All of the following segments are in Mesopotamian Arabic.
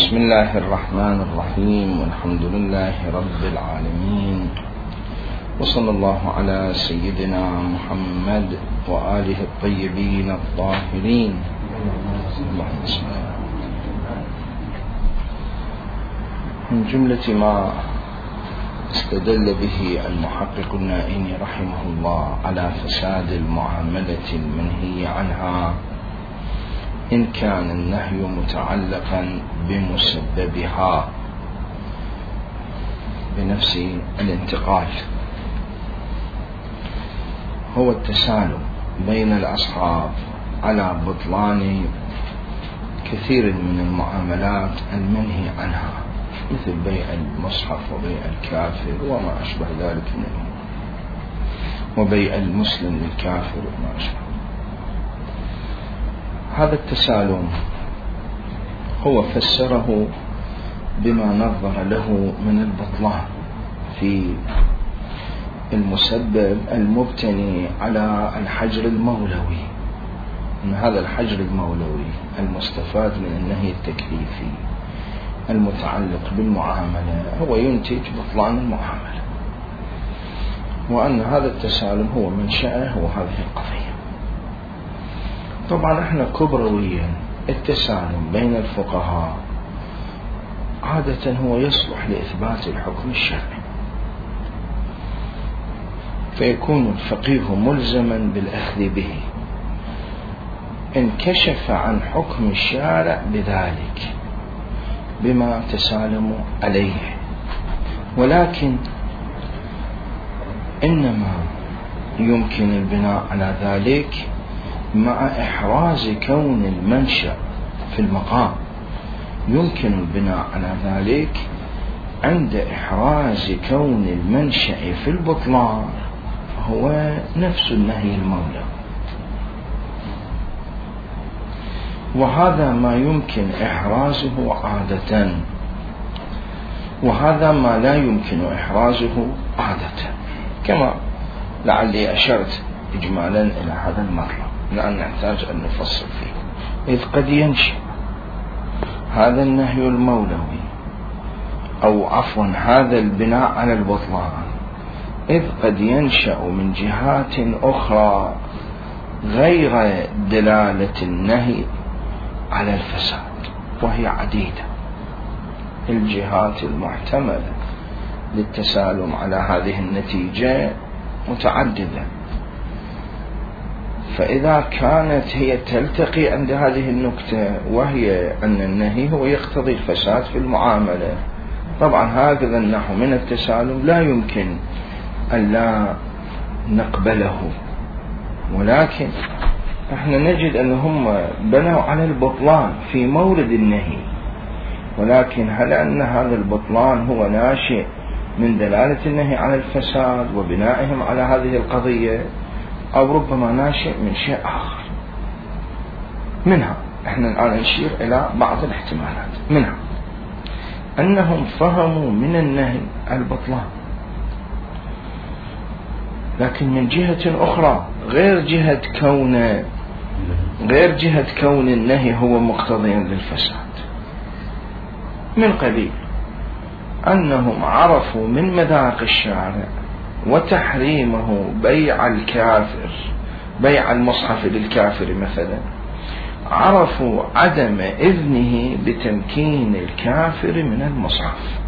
بسم الله الرحمن الرحيم، والحمد لله رب العالمين، وصلى الله على سيدنا محمد وآله الطيبين الطاهرين. من جملة ما استدل به المحقق النائني رحمه الله على فساد المعاملة المنهي عنها إن كان النهي متعلقا بمسببها بنفس الانتقال، هو التسالم بين الأصحاب على بطلان كثير من المعاملات المنهي عنها، مثل بيع المصحف وبيع الكافر وما أشبه ذلك منه، وبيع المسلم للكافر وما أشبه. هذا التسالم هو فسره بما نظر له من البطلان في المسبب المبتني على الحجر المولوي، أن هذا الحجر المولوي المستفاد من النهي التكليفي المتعلق بالمعاملة هو ينتج بطلان المعاملة، وأن هذا التسالم هو منشأه وهذه القضية. طبعا احنا كبرويا التسالم بين الفقهاء عادة هو يصلح لإثبات الحكم الشرعي، فيكون الفقيه ملزما بالأخذ به إن كشف عن حكم الشارع بذلك بما تسالم عليه، ولكن إنما يمكن البناء على ذلك مع إحراز كون المنشأ في المقام، يمكن البناء على ذلك عند إحراز كون المنشأ في البطلان هو نفس النهي المولوي، وهذا ما يمكن إحرازه عادة، وهذا ما لا يمكن إحرازه عادة، كما لعلي أشرت إجمالا إلى هذا المطلب، لأن نحتاج أن نفصل فيه. إذ قد ينشأ هذا النهي المولوي أو عفوا هذا البناء على البطلان إذ قد ينشأ من جهات أخرى غير دلالة النهي على الفساد، وهي عديدة الجهات المحتملة للتسالم على هذه النتيجة متعددة، فإذا كانت هي تلتقي عند هذه النكتة وهي أن النهي هو يقتضي الفساد في المعاملة، طبعا هكذا النحو من التسالم لا يمكن أن لا نقبله، ولكن احنا نجد أنهم بنوا على البطلان في مورد النهي، ولكن هل أن هذا البطلان هو ناشئ من دلالة النهي على الفساد وبنائهم على هذه القضية، أو ربما ناشئ من شيء آخر؟ منها احنا الآن نشير إلى بعض الاحتمالات، منها أنهم فهموا من النهي البطلان، لكن من جهة أخرى غير جهة كون النهي هو مقتضيا للفساد، من قبيل أنهم عرفوا من مذاق الشارع وتحريمه بيع الكافر، بيع المصحف للكافر مثلا، عرفوا عدم إذنه بتمكين الكافر من المصحف،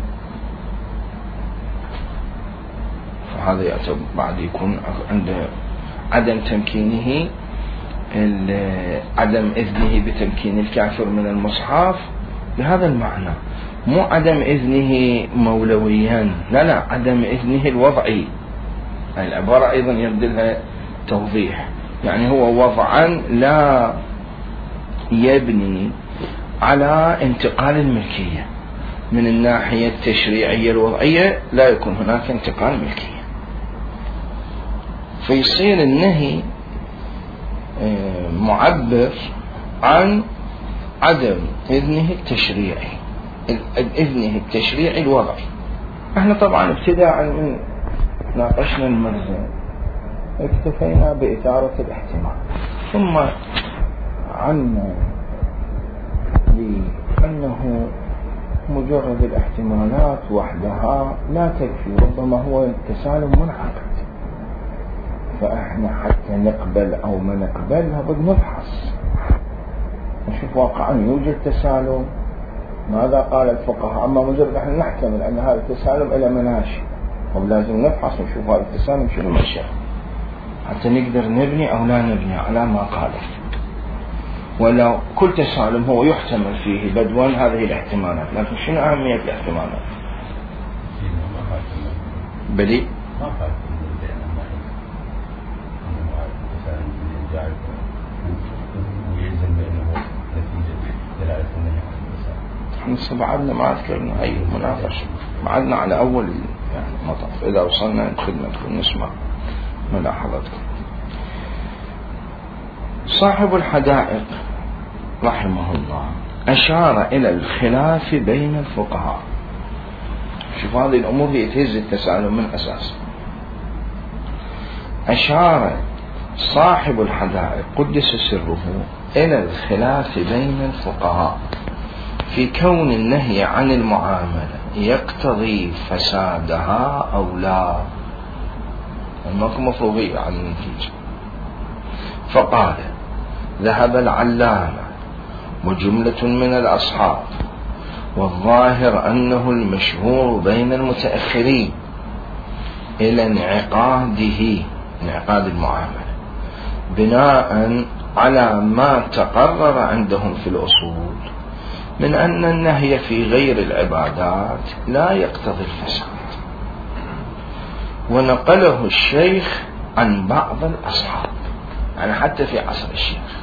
فهذا يعتبر بعد يكون عند عدم تمكينه عدم إذنه بتمكين الكافر من المصحف بهذا المعنى، مو عدم إذنه مولويا، لا عدم إذنه الوضعي، العبارة أيضا يبدلها توضيح، يعني هو وضعا لا يبني على انتقال الملكية من الناحية التشريعية الوضعية، لا يكون هناك انتقال ملكية، فيصير النهي معبر عن عدم إذنه التشريعي، إذنه التشريعي الوضعي. احنا طبعا ابتداء من ناقشنا الملزم اكتفينا بإثارة الاحتمال، ثم عنا لأنه مجرد الاحتمالات وحدها لا تكفي، ربما هو التسالم منعقد، فإحنا حتى نقبل أو ما نقبلها بدنا نفحص نشوف واقعا يوجد تسالم، ماذا قال الفقهاء. أما مجرد احنا نحتمل أن هذا التسالم إلى مناشئ، ولازم نفحص ونشوف هذا التسالم شنو منشأه حتى نقدر نبني أو لا نبني على ما قاله. ولو كل تسالم هو يحتمل فيه بدوا هذه الاحتمالات، لكن شنو أهمية الاحتمالات؟ بلي احنا بعدنا ما أذكرنا أي مناقشة، بعدنا على أول يعني مطاف. إذا وصلنا خدمتكم نسمع ملاحظتكم. صاحب الحدائق رحمه الله أشار إلى الخلاف بين الفقهاء. شوف هذه الأمور اللي تهز التسالم من أساس. أشار صاحب الحدائق قدس سره إلى الخلاف بين الفقهاء في كون النهي عن المعاملة يقتضي فسادها أو لا، ماكو مفروضية عن النتيجة. فقال: ذهب العلامة وجملة من الأصحاب، والظاهر أنه المشهور بين المتأخرين، إلى انعقاد المعاملة بناء على ما تقرر عندهم في الأصول من أن النهي في غير العبادات لا يقتضي الفساد. ونقله الشيخ عن بعض الأصحاب، يعني حتى في عصر الشيخ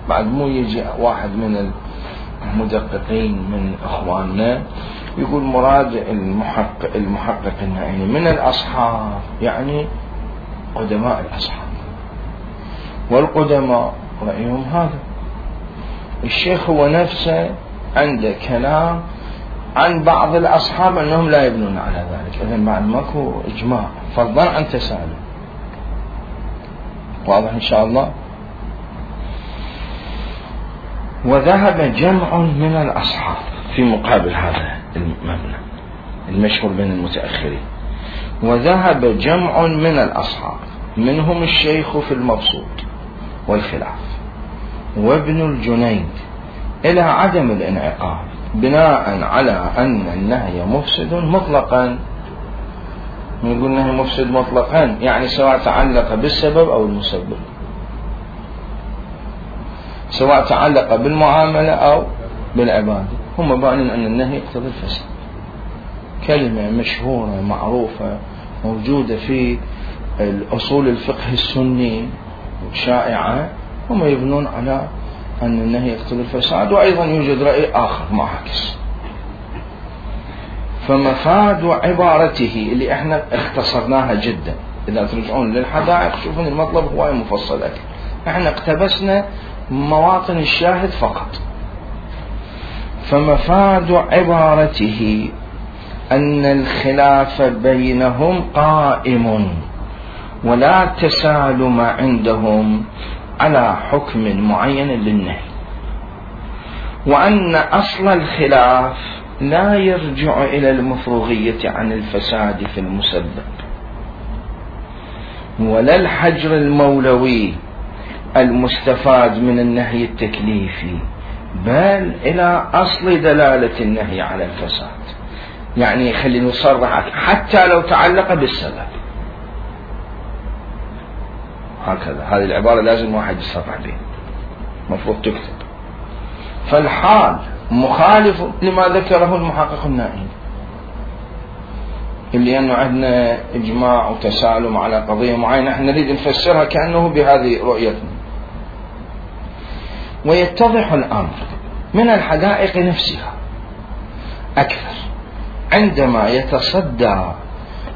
بعد مو يجي واحد من المدققين من إخواننا يقول مراد المحقق النائي من الأصحاب يعني قدماء الأصحاب، والقدماء رأيهم هذا. الشيخ هو نفسه عنده كلام عن بعض الأصحاب أنهم لا يبنون على ذلك، إذن بعد ماكو إجماع فضلا عن تسالم. واضح إن شاء الله. وذهب جمع من الأصحاب في مقابل هذا المبنى المشهور بين المتأخرين، وذهب جمع من الأصحاب منهم الشيخ في المبسوط والخلاف وابن الجنيد إلى عدم الانعقاد بناء على أن النهي مفسد مطلقا. نقول النهي مفسد مطلقا يعني سواء تعلق بالسبب أو المسبب، سواء تعلق بالمعاملة أو بالعبادة، هم بانين أن النهي يقتضي الفساد. كلمة مشهورة معروفة موجودة في الأصول الفقه السني شائعة، هم يبنون على أن النهي يقتضي الفساد. وأيضا يوجد رأي آخر معاكس. فمفاد عبارته اللي احنا اختصرناها جدا، إذا ترجعون للحدائق شوفون المطلب هو مفصل أكثر، احنا اقتبسنا مواطن الشاهد فقط. فمفاد عبارته أن الخلاف بينهم قائم ولا تسالم عندهم على حكم معين للنهي، وأن أصل الخلاف لا يرجع إلى المفروغية عن الفساد في المسبب ولا الحجر المولوي المستفاد من النهي التكليفي، بل إلى أصل دلالة النهي على الفساد. يعني خلينا نصرح حتى لو تعلق بالسبب، هكذا هذه العبارة لازم واحد يصرح بها، مفروض تكتب. فالحال مخالف لما ذكره المحقق النائي، اللي أنه عندنا إجماع وتسالم على قضية معينة احنا نريد نفسرها كأنه بهذه رؤيتنا. ويتضح الأمر من الحدائق نفسها أكثر عندما يتصدى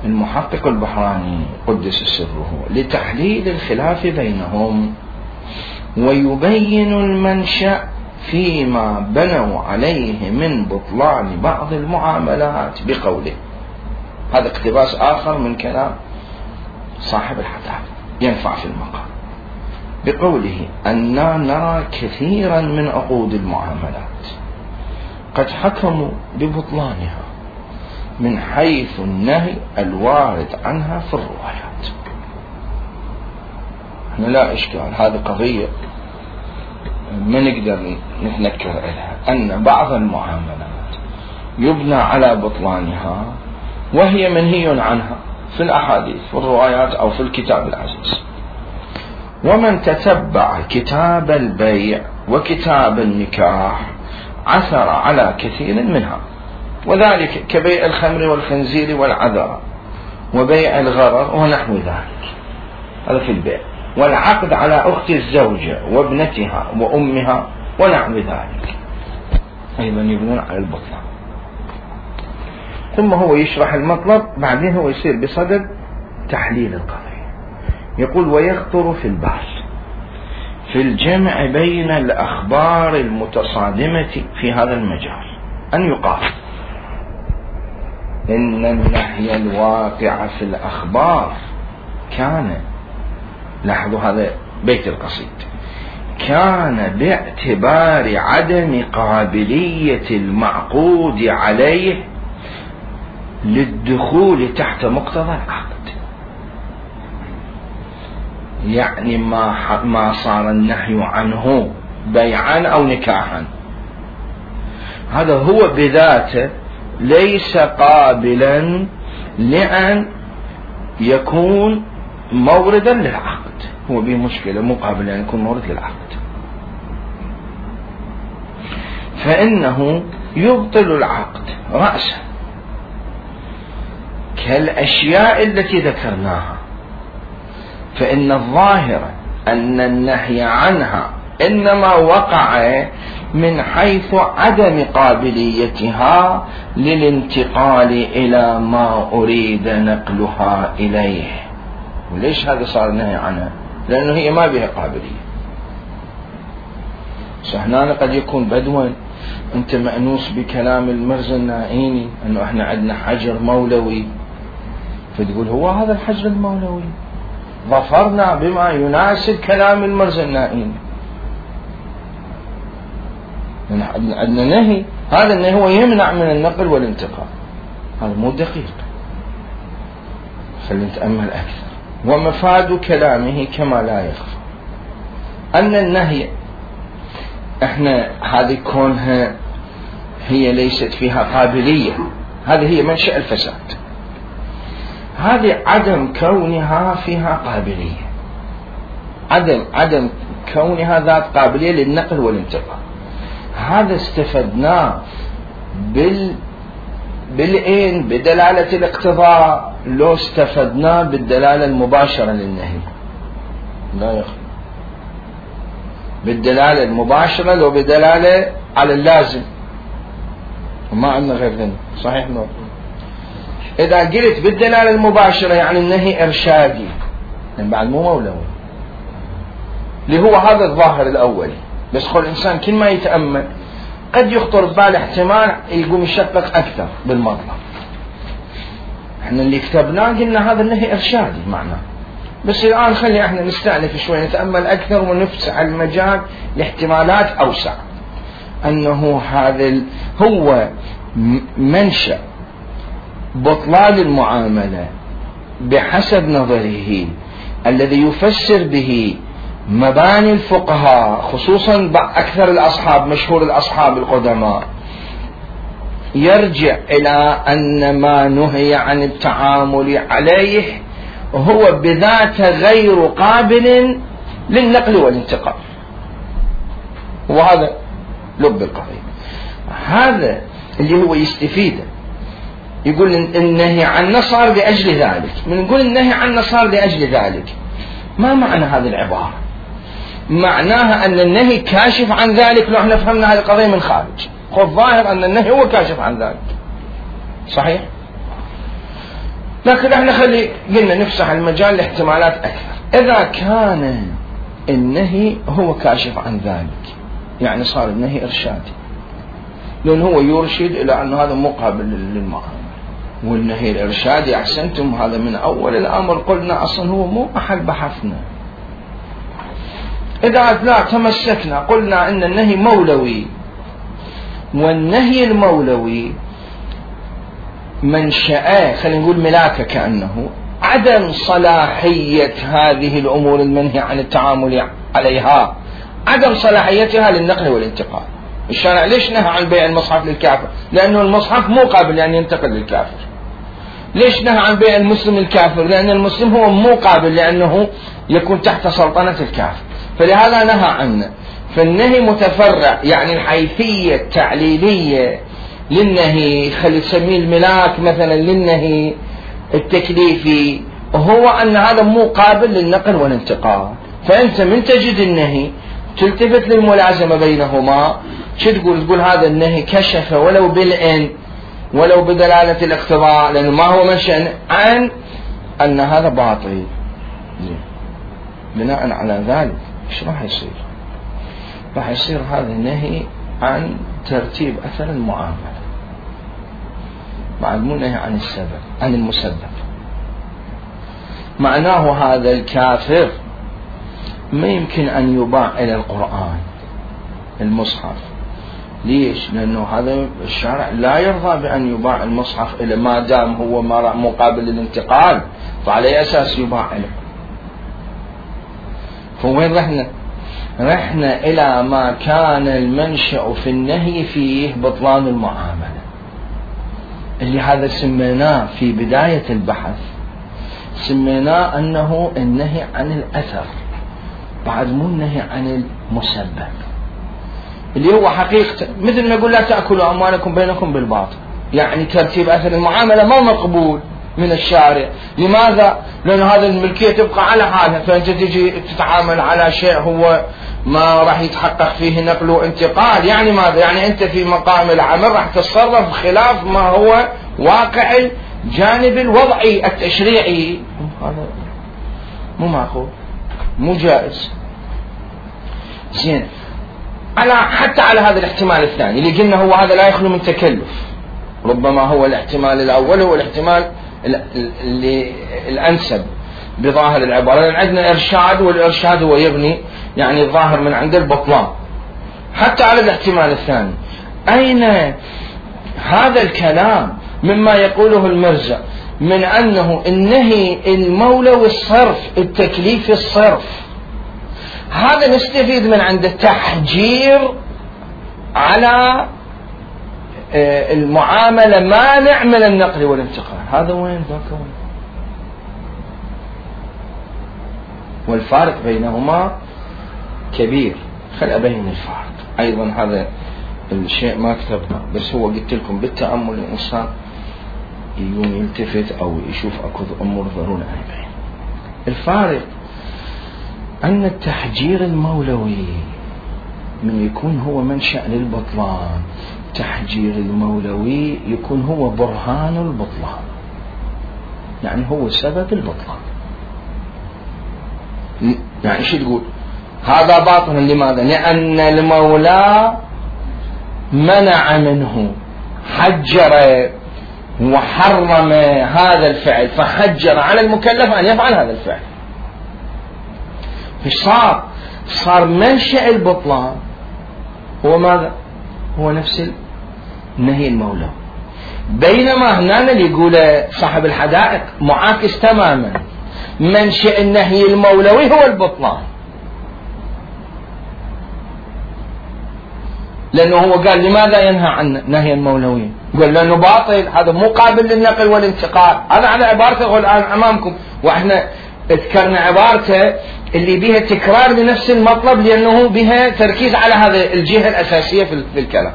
المحقق البحراني قدس سره لتحليل الخلاف بينهم ويبين المنشأ فيما بنوا عليه من بطلان بعض المعاملات بقوله. هذا اقتباس آخر من كلام صاحب الحدائق ينفع في المقام. بقوله أننا نرى كثيرا من عقود المعاملات قد حكموا ببطلانها من حيث النهي الوارد عنها في الروايات. احنا لا إشكال، هذه قضية ما نقدر نتنكر لها، أن بعض المعاملات يبنى على بطلانها وهي منهي عنها في الأحاديث في الروايات أو في الكتاب العزيز. ومن تتبع كتاب البيع وكتاب النكاح عثر على كثير منها، وذلك كبيع الخمر والخنزير والعذراء وبيع الغرر ونحو ذلك، هذا في البيع، والعقد على أخت الزوجة وابنتها وأمها ونحو ذلك أيضا يبنون على البطلان. ثم هو يشرح المطلب، بعدين هو يصير بصدد تحليل القضية. يقول: ويخطر في البال في الجمع بين الأخبار المتصادمة في هذا المجال أن يقال إن النهي الواقع في الأخبار كان، لاحظوا هذا بيت القصيد، كان باعتبار عدم قابلية المعقود عليه للدخول تحت مقتضى العقد. يعني ما صار النهي عنه بيعا أو نكاحا، هذا هو بذاته ليس قابلا لأن يكون موردا للعقد، هو بمشكلة مو قابل أن يكون مورد للعقد، فإنه يبطل العقد رأسا كالأشياء التي ذكرناها. فإن الظاهر أن النهي عنها إنما وقع من حيث عدم قابليتها للانتقال إلى ما أريد نقلها إليه. وليش هذا صار نهي عنها؟ لأنه هي ما بها قابلية. هنا قد يكون بدوا أنت مأنوس بكلام المرزا النائيني أنه إحنا عندنا حجر مولوي، فتقول هو هذا الحجر المولوي ظفرنا بما يناسب كلام المرزا النائيني، عندنا نهي، هذا النهي هو يمنع من النقل والانتقال، هذا مو دقيق. خلينا نتأمل أكثر. ومفاد كلامه كما لا يخفى أن النهي، احنا هذه كونها هي ليست فيها قابلية، هذه هي منشأ الفساد، هذه عدم كونها فيها قابلية، عدم كونها ذات قابلية للنقل والانتقال، هذا استفدناه بالعين بدلالة الاقتضاء، لو استفدناه بالدلالة المباشرة للنهي لا يخفى، بالدلالة المباشرة لو بدلالة على اللازم، وما عندنا غير ذنب. صحيح نور. إذا قلت بالدلالة المباشرة يعني النهي إرشادي، يعني بعد مو مولوي، اللي هو هذا الظاهر الأولي. بس خل الإنسان كل ما يتأمل قد يخطر ببال احتمال يقوم يشقق أكثر بالمطلب. احنا اللي كتبناه قلنا هذا النهي إرشادي معناه، بس الآن خلي احنا نستأنف شوي نتأمل أكثر ونفسح المجال لاحتمالات أوسع، أنه هذا هو منشأ بطلان المعاملة بحسب نظره الذي يفسر به مباني الفقهاء، خصوصا أكثر الأصحاب مشهور الأصحاب القدماء، يرجع إلى أن ما نهي عن التعامل عليه هو بذاته غير قابل للنقل والانتقال. وهذا لب القضية، هذا اللي هو يستفيده. يقول النهي عن صار لأجل ذلك، من نقول النهي عن صار لأجل ذلك، ما معنى هذه العبارة؟ معناها أن النهي كاشف عن ذلك. لو احنا فهمنا هذه القضية من خارج، الظاهر أن النهي هو كاشف عن ذلك، صحيح؟ لكن احنا قلنا نفسح المجال لاحتمالات أكثر. إذا كان النهي هو كاشف عن ذلك يعني صار النهي إرشادي، لأن هو يرشد إلى أن هذا مقابل للمعاملة. والنهي الإرشادي أحسنتم هذا من أول الأمر قلنا أصلا هو مو محل بحثنا. إذا لا تمسكنا قلنا إن النهي مولوي، والنهي المولوي منشأه خلينا نقول ملاكه كأنه عدم صلاحية هذه الأمور المنهي عن التعامل عليها، عدم صلاحيتها للنقل والانتقال. الشارع ليش نهى عن بيع المصحف للكافر؟ لأنه المصحف مو قابل لأن ينتقل للكافر. ليش نهى عن بيع المسلم الكافر؟ لأن المسلم هو مو قابل لأنه يكون تحت سلطنة الكافر، فلهذا نهى عنه. فالنهي متفرع، يعني الحيثية التعليلية للنهي خلي تسميه الملاك مثلا للنهي التكليفي هو أن هذا مو قابل للنقل والانتقال. فأنت من تجد النهي تلتفت للملازمة بينهما، شو تقول هذا النهي كشف ولو بالإن ولو بدلالة الاقتضاء، لأنه ما هو منشأ عن أن هذا باطل. بناء على ذلك ايش راح يصير؟ راح يصير هذا النهي عن ترتيب أثر المعاملة، بعد مو نهي عن السبب عن المسبب. معناه هذا الكافر ما يمكن أن يباع إلى القرآن المصحف. ليش؟ لأنه هذا الشارع لا يرضى بأن يباع المصحف إلى ما دام هو مقابل للانتقال، فعلى أساس يباع له. فوين رحنا إلى ما كان المنشأ في النهي فيه بطلان المعاملة، اللي هذا سميناه في بداية البحث، سميناه أنه النهي عن الأثر بعد مو النهي عن المسبب، اللي هو حقيقة مثل ما يقول لا تأكلوا أموالكم بينكم بالباطل، يعني ترتيب أثر المعاملة ما مقبول من الشارع. لماذا؟ لأن هذا الملكية تبقى على حالها، فأنت تجي تتعامل على شيء هو ما راح يتحقق فيه نقل وانتقال. يعني ماذا؟ يعني أنت في مقام العمل راح تتصرف خلاف ما هو واقع الجانب الوضعي التشريعي. هذا مو معقول، مو جائز. زين، حتى على هذا الاحتمال الثاني اللي قلنا هو هذا لا يخلو من تكلف، ربما هو الاحتمال الأول هو الاحتمال اللي الأنسب بظاهر العبارة، لأن عندنا إرشاد، والإرشاد هو يبني يعني الظاهر من عند البطلان. حتى على الاحتمال الثاني أين هذا الكلام مما يقوله المرزا من أنه النهي المولوي الصرف التكليف الصرف، هذا نستفيد من عند التحجير على المعاملة مانع من النقل والانتقال. هذا وين ذاك وين؟ والفارق بينهما كبير. خل أبين الفارق أيضا، هذا الشيء ما كتبنا بس هو قلت لكم بالتأمل الإنسان يقوم يلتفت أو يشوف أكو أمور ضرورة أن يبين. الفارق أن التحجير المولوي من يكون هو منشأ للبطلان، تحجير المولوي يكون هو برهان البطلان، يعني هو سبب البطلان. يعني شو تقول؟ هذا باطل. لماذا؟ لأن المولى منع منه، حجر وحرم هذا الفعل، فحجر على المكلف أن يفعل هذا الفعل. صار منشأ البطلان هو ماذا؟ هو نفس النهي المولوي. بينما هنا اللي يقوله صاحب الحدائق معاكس تماما، منشأ النهي المولوي هو البطلان، لأنه هو قال لماذا ينهى عن نهي المولوي؟ قال لأنه باطل، هذا مو قابل للنقل والانتقال. هذا على عبارته الآن أمامكم، وإحنا ذكرنا عبارته اللي بها تكرار لنفس المطلب لأنه بها تركيز على هذه الجهة الأساسية في الكلام.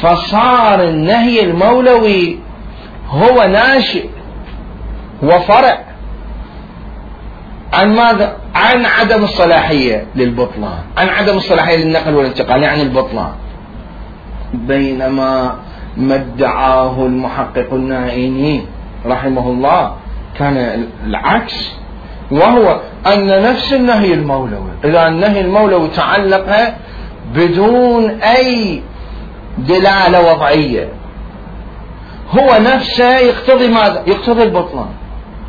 فصار النهي المولوي هو ناشئ وفرع عن ماذا؟ عن عدم الصلاحية للبطلان، عن عدم الصلاحية للنقل والانتقال، يعني البطلان. بينما ما ادعاه المحقق النائيني رحمه الله كان العكس، وهو أن نفس النهي المولوي، إذا النهي المولوي تعلق بدون أي دلالة وضعية، هو نفسه يقتضي ماذا؟ يقتضي البطلان،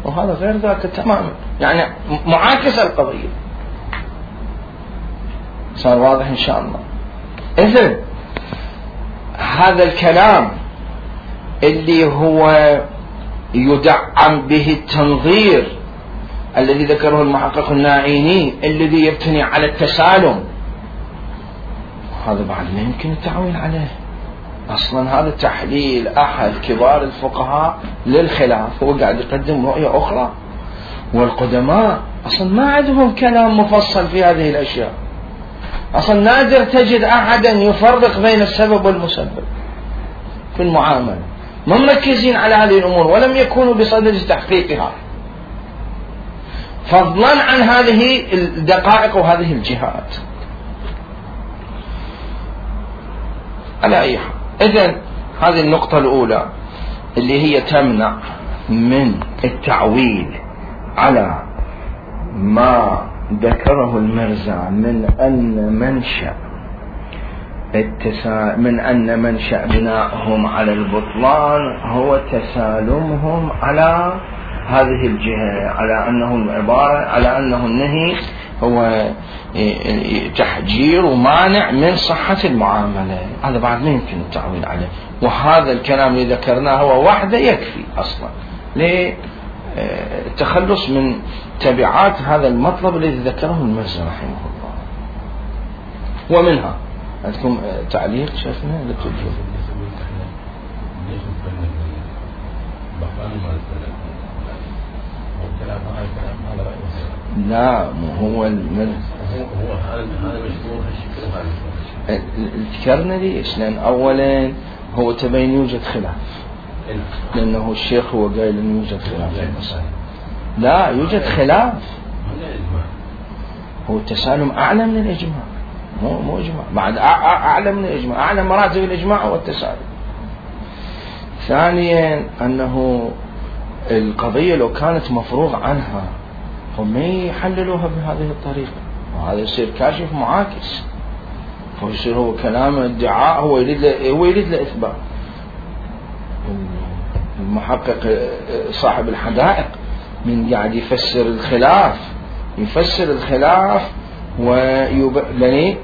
وهذا غير ذاك تماما، يعني معاكس القضية. صار واضح إن شاء الله. إذن هذا الكلام اللي هو يدعم به التنظير الذي ذكره المحقق النائيني الذي يبتني على التسالم، هذا بعد ما يمكن التعويل عليه. أصلا هذا تحليل أحد كبار الفقهاء للخلاف، هو قاعد يقدم رؤية أخرى، والقدماء أصلا ما عندهم كلام مفصل في هذه الأشياء. أصلا نادر تجد أحدا يفرق بين السبب والمسبب في المعاملة، ما مركزين على هذه الأمور ولم يكونوا بصدد تحقيقها، فضلا عن هذه الدقائق وهذه الجهات. على أي حال، إذن هذه النقطة الأولى اللي هي تمنع من التعويل على ما ذكره المرزا من أن منشأ بنائهم على البطلان هو تسالمهم على هذه الجهة، على أنه العبارة على أنه النهي هو تحجير ومانع من صحة المعاملة. هذا بعد ما يمكن التعويل عليه، وهذا الكلام اللي ذكرناه هو وحده يكفي أصلا للتخلص من تبعات هذا المطلب الذي ذكره المرزا رحمه الله. ومنها عندكم تعليق شيخنا للتوجيه؟ لا، مو هو ذكرنا ليش؟ لأن أولا هو تبين يوجد خلاف، لأنه الشيخ هو قايل أنه يوجد خلاف في المسألة. لا يوجد خلاف، هو التسالم أعلى من الإجماع، مو إجماع، بعد أعلى من الإجماع، أعلى مراتب الإجماع هو التسالم. ثانيا أنه القضية لو كانت مفروغ عنها هم يحللوها بهذه الطريقة، وهذا يصير كاشف معاكس، فيصير هو كلام ادعاء هو يريد له إثبات. المحقق صاحب الحدائق من قاعد يفسر الخلاف ويبني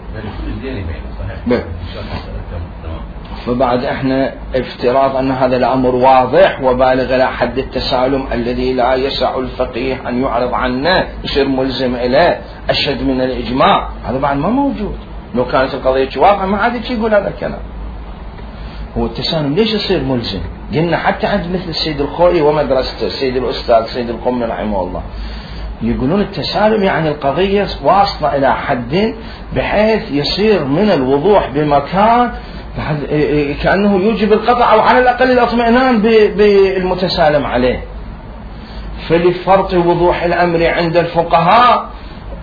فبعد احنا افتراض ان هذا الامر واضح وبالغ الى حد التسالم الذي لا يسع الفقيه ان يعرض عنه، يصير ملزم اليه اشد من الاجماع، هذا بعد ما موجود. لو كانت القضيه واضحه ما عاد يقول هذا الكلام. هو التسالم ليش يصير ملزم؟ قلنا حتى عند مثل السيد الخوئي ومدرسته، السيد الاستاذ سيد القمي رحمه الله، يقولون التسالم يعني القضيه واصله الى حد بحيث يصير من الوضوح بمكان كأنه يوجب القطع أو على الأقل الاطمئنان بالمتسالم عليه. فلفرط وضوح الأمر عند الفقهاء،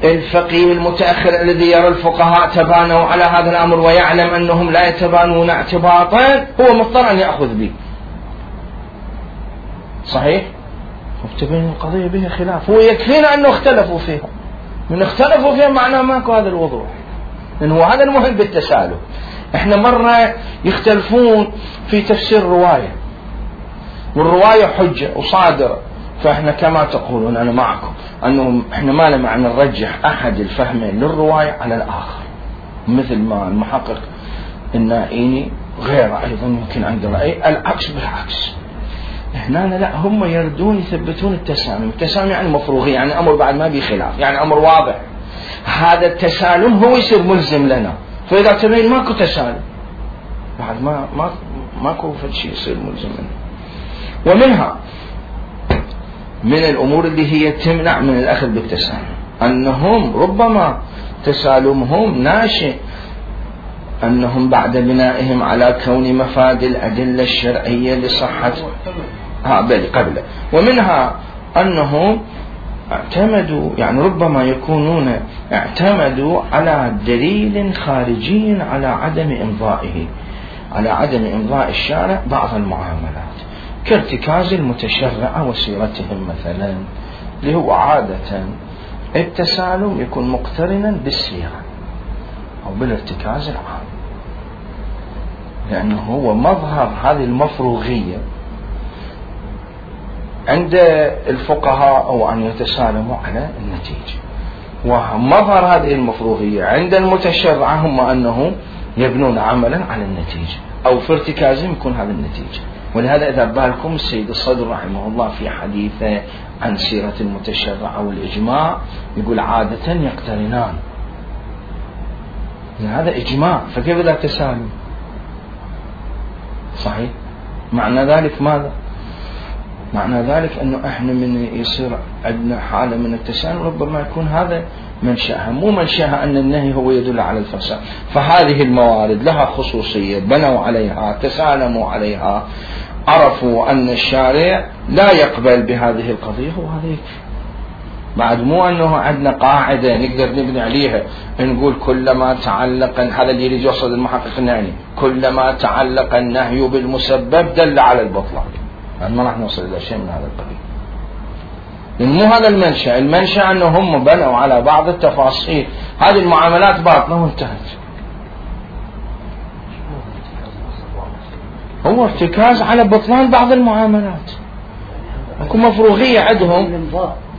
الفقيه المتأخر الذي يرى الفقهاء تبانوا على هذا الأمر ويعلم أنهم لا يتبانون اعتباطا، هو مضطر أن يأخذ به. صحيح؟ وتبين القضية بها خلاف، هو يكفينا أنه اختلفوا فيها، من اختلفوا فيها معناه ماكو هذا الوضوح، لأنه هذا المهم بالتسالم. احنا مرة يختلفون في تفسير الرواية، والرواية حجة وصادرة، فاحنا كما تقولون انا معكم انه احنا ما لنا معنى نرجح احد الفهمين للرواية على الاخر، مثل ما المحقق النائيني غير ايضا ممكن عنده رأي العكس بالعكس. احنا لا، هم يردون يثبتون التسالم. التسالم يعني مفروغي، يعني امر بعد ما بي خلاف، يعني امر واضح. هذا التسالم هو يصير ملزم لنا، فإذا تبين ماكو تسالم بعد ماكو شيء يصير ملزم منه. ومنها من الأمور اللي هي تمنع من الأخذ بالتسالم أنهم ربما تسالمهم ناشئ أنهم بعد بنائهم على كون مفاد الأدلة الشرعية لصحة قبله. ومنها أنهم اعتمدوا، يعني ربما يكونون اعتمدوا على دليل خارجي على عدم إمضاء الشارع بعض المعاملات، كارتكاز المتشرع وسيرتهم مثلا، اللي هو عادة التسالم يكون مقترنا بالسيرة أو بالارتكاز العام، لأنه هو مظهر هذه المفروغية عند الفقهاء أو أن يتسالموا على النتيجة، ومظهر هذه المفروغية عند المتشرع هم أنه يبنون عملا على النتيجة، أو في ارتكازهم يكون هذا النتيجة. ولهذا إذا بالكم السيد الصدر رحمه الله في حديثه عن سيرة المتشرع والإجماع يقول عادة يقترنان، هذا إجماع، فكيف لا تسالم؟ صحيح. معنى ذلك ماذا؟ معنى ذلك أنه إحنا من يصير عندنا حالة من التسالم ربما يكون هذا منشأها، مو منشأها أن النهي هو يدل على الفساد. فهذه الموارد لها خصوصية، بنوا عليها، تسالموا عليها، عرفوا أن الشارع لا يقبل بهذه القضية، وهذا يكفي. بعد مو أنه عندنا قاعدة نقدر نبني عليها نقول كلما تعلق، هذا اللي يريد يوصل المحقق النهي، كلما تعلق النهي بالمسبب دل على البطلان. يعني ما راح نوصل إلى شيء من هذا القبيل، لأن مو هذا المنشأ. المنشأ أنه هم بنوا على بعض التفاصيل، هذه المعاملات باطلة وانتهت. هو ارتكاز على بطلان بعض المعاملات، اكو مفروغية عندهم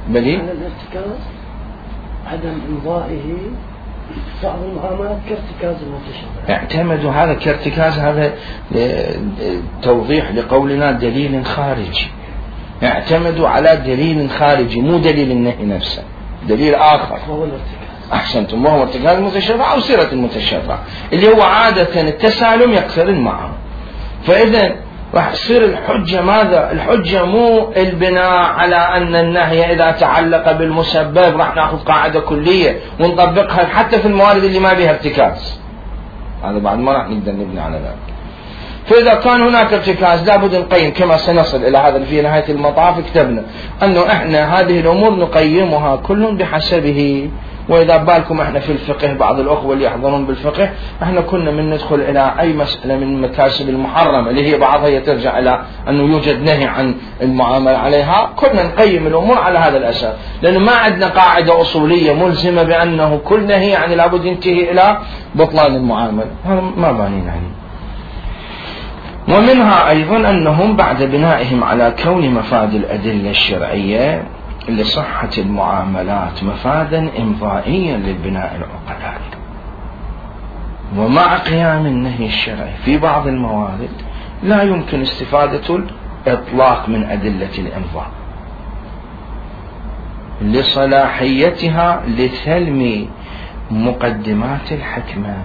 بلي الارتكاز عدم إمضائه بعض المعاملات كارتكاز المتشرع. اعتمدوا هذا كارتكاز، هذا توضيح لقولنا دليل خارجي، اعتمدوا على دليل خارجي مو دليل النهي نفسه، دليل آخر وهو الارتكاز. أحسنتم، وهو ارتكاز المتشرع أو سيرة المتشرع اللي هو عادة التسالم يقترن معه. فإذا راح تصير الحجة ماذا؟ الحجة مو البناء على أن النهي إذا تعلق بالمسبب راح نأخذ قاعدة كلية ونطبقها حتى في الموارد اللي ما بها ارتكاز، هذا بعد ما راح نقدر نبني على ذلك. فإذا كان هناك ارتكاز لابد نقيم، كما سنصل إلى هذا في نهاية المطاف كتبنا أنه إحنا هذه الأمور نقيمها كل بحسبه. وإذا بالكم إحنا في الفقه بعض الأخوة اللي يحضرون بالفقه إحنا كنا من ندخل إلى أي مسألة من المكاسب المحرمة اللي هي بعضها ترجع إلى أنه يوجد نهي عن المعاملة عليها، كنا نقيم الأمور على هذا الأساس، لأنه ما عندنا قاعدة أصولية ملزمة بأنه كل نهي يعني لابد ينتهي إلى بطلان المعاملة، هذا ما بانين عليه. ومنها أيضا أنهم بعد بنائهم على كون مفاد الأدلة الشرعية لصحة المعاملات مفادا إمضائيا للبناء العقلائي، ومع قيام النهي الشرعي في بعض الموارد لا يمكن استفادة الإطلاق من أدلة الإمضاء لصلاحيتها لثلم مقدمات الحكمة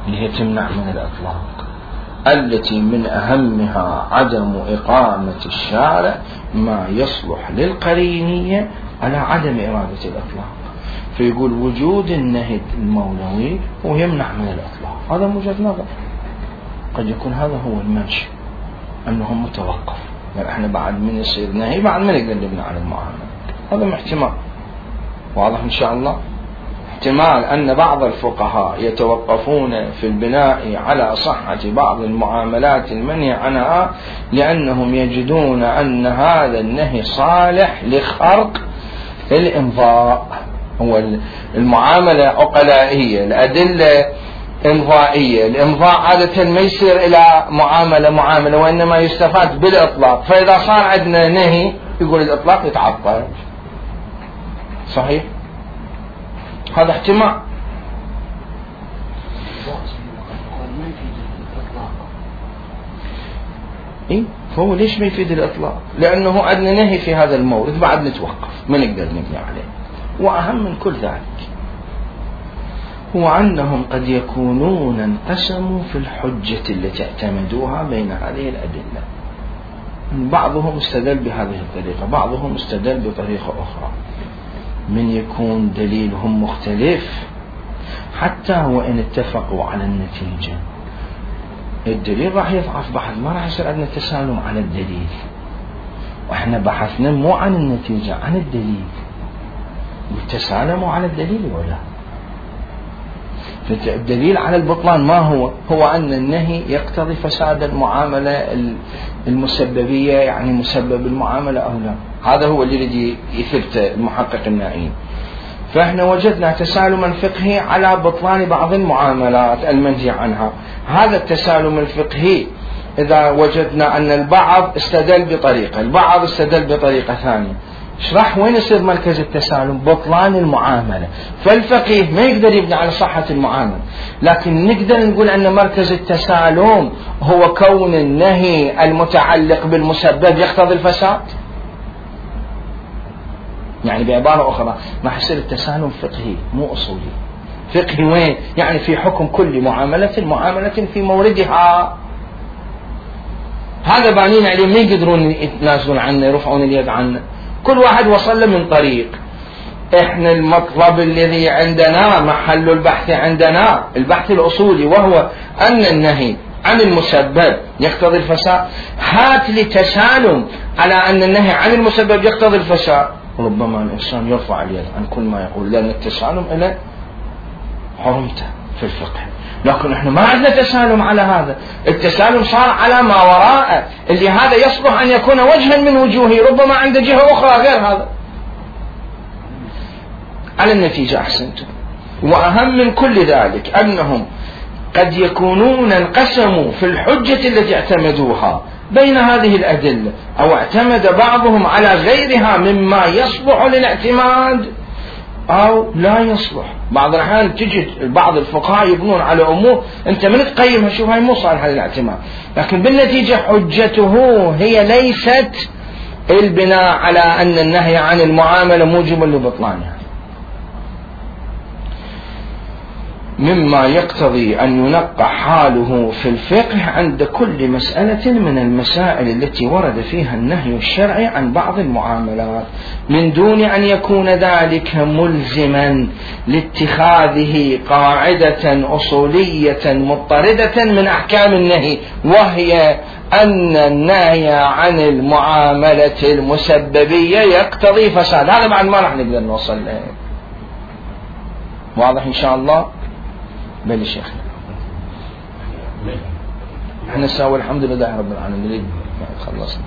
اللي هي تمنع من الإطلاق، التي من أهمها عدم إقامة الشارع ما يصلح للقرينية على عدم إرادة الإطلاق. فيقول وجود النهي المولوي ويمنع من الإطلاق، هذا موجود نظر، قد يكون هذا هو المنشأ أنه متوقف، يعني احنا بعد من يصير نهي بعد من نقدر نبني على المعاملة، هذا احتمال واضح إن شاء الله. احتمال أن بعض الفقهاء يتوقفون في البناء على صحة بعض المعاملات المنهي عنها لأنهم يجدون أن هذا النهي صالح لخرق الإمضاء. هو المعاملة عقلائية، الأدلة إمضائية، الإمضاء عادة ما يصير إلى معاملة وإنما يستفاد بالإطلاق، فإذا صار عندنا نهي يقول الإطلاق يتعطل. صحيح؟ هذا احتمال. إيه؟ فهو ليش ما يفيد الإطلاق؟ لأنه عندنا نهي في هذا المورد بعد نتوقف ما نقدر نبني عليه. وأهم من كل ذلك هو أنهم قد يكونون انقسموا في الحجة التي اعتمدوها بين هذه الأدلة، بعضهم استدل بهذه الطريقة، بعضهم استدل بطريقة أخرى. من يكون دليلهم مختلف حتى وإن اتفقوا على النتيجة الدليل راح يضعف بحث، ما راح يصير عندنا تسالم على الدليل، وإحنا بحثنا مو عن النتيجة عن الدليل، وتسالموا على الدليل ولا. فالدليل على البطلان ما هو أن النهي يقتضي فساد المعاملة المسببية، يعني مسبب المعاملة أو لا، هذا هو اللي يريد يثبت المحقق النائين. فإحنا وجدنا تسالما فقهي على بطلان بعض المعاملات المنهي عنها. هذا التسالم الفقهي إذا وجدنا أن البعض استدل بطريقة، البعض استدل بطريقة ثانية، اشرح وين يصير مركز التسالم؟ بطلان المعاملة. فالفقيه ما يقدر يبني على صحة المعاملة، لكن نقدر نقول أن مركز التسالم هو كون النهي المتعلق بالمسبب يقتضي الفساد. يعني بعبارة أخرى ما حيصير التسالم فقهي مو أصولي. فقهي وين؟ يعني في حكم كل معاملة في موردها. هذا بانين عليه ما يقدرون يتنازلون عنه يرفعون اليد عنه، كل واحد وصل له من طريق. احنا المطلب الذي عندنا محل البحث عندنا البحث الأصولي، وهو أن النهي عن المسبب يقتضي الفساد. هات لي تسالم على أن النهي عن المسبب يقتضي الفساد، ربما الإنسان يرفع اليد عن كل ما يقول، لأن التسالم إلى حرمته في الفقه. لكن احنا ما عندنا تسالم على هذا، التسالم صار على ما وراءه، اللي هذا يصلح أن يكون وجها من وجوهه، ربما عنده جهة أخرى غير هذا. على النتيجة أحسنتم. وأهم من كل ذلك أنهم قد يكونون انقسموا في الحجة التي اعتمدوها بين هذه الأدلة، أو اعتمد بعضهم على غيرها مما يصلح للاعتماد أو لا يصلح. بعض الأحيان تجد بعض الفقهاء يبنون على أمور أنت من تقيمها شوف هاي مو صالحة للاعتماد، لكن بالنتيجة حجته هي ليست البناء على أن النهي عن المعاملة موجب لبطلانها، مما يقتضي أن ينقح حاله في الفقه عند كل مسألة من المسائل التي ورد فيها النهي الشرعي عن بعض المعاملات، من دون أن يكون ذلك ملزما لاتخاذه قاعدة أصولية مضطردة من أحكام النهي، وهي أن النهي عن المعاملة المسببية يقتضي فساد. هذا بعد ما راح نقدر نوصل له. واضح إن شاء الله؟ بل شيخنا احنا نساوي الحمد لله رب العالمين. خلصنا.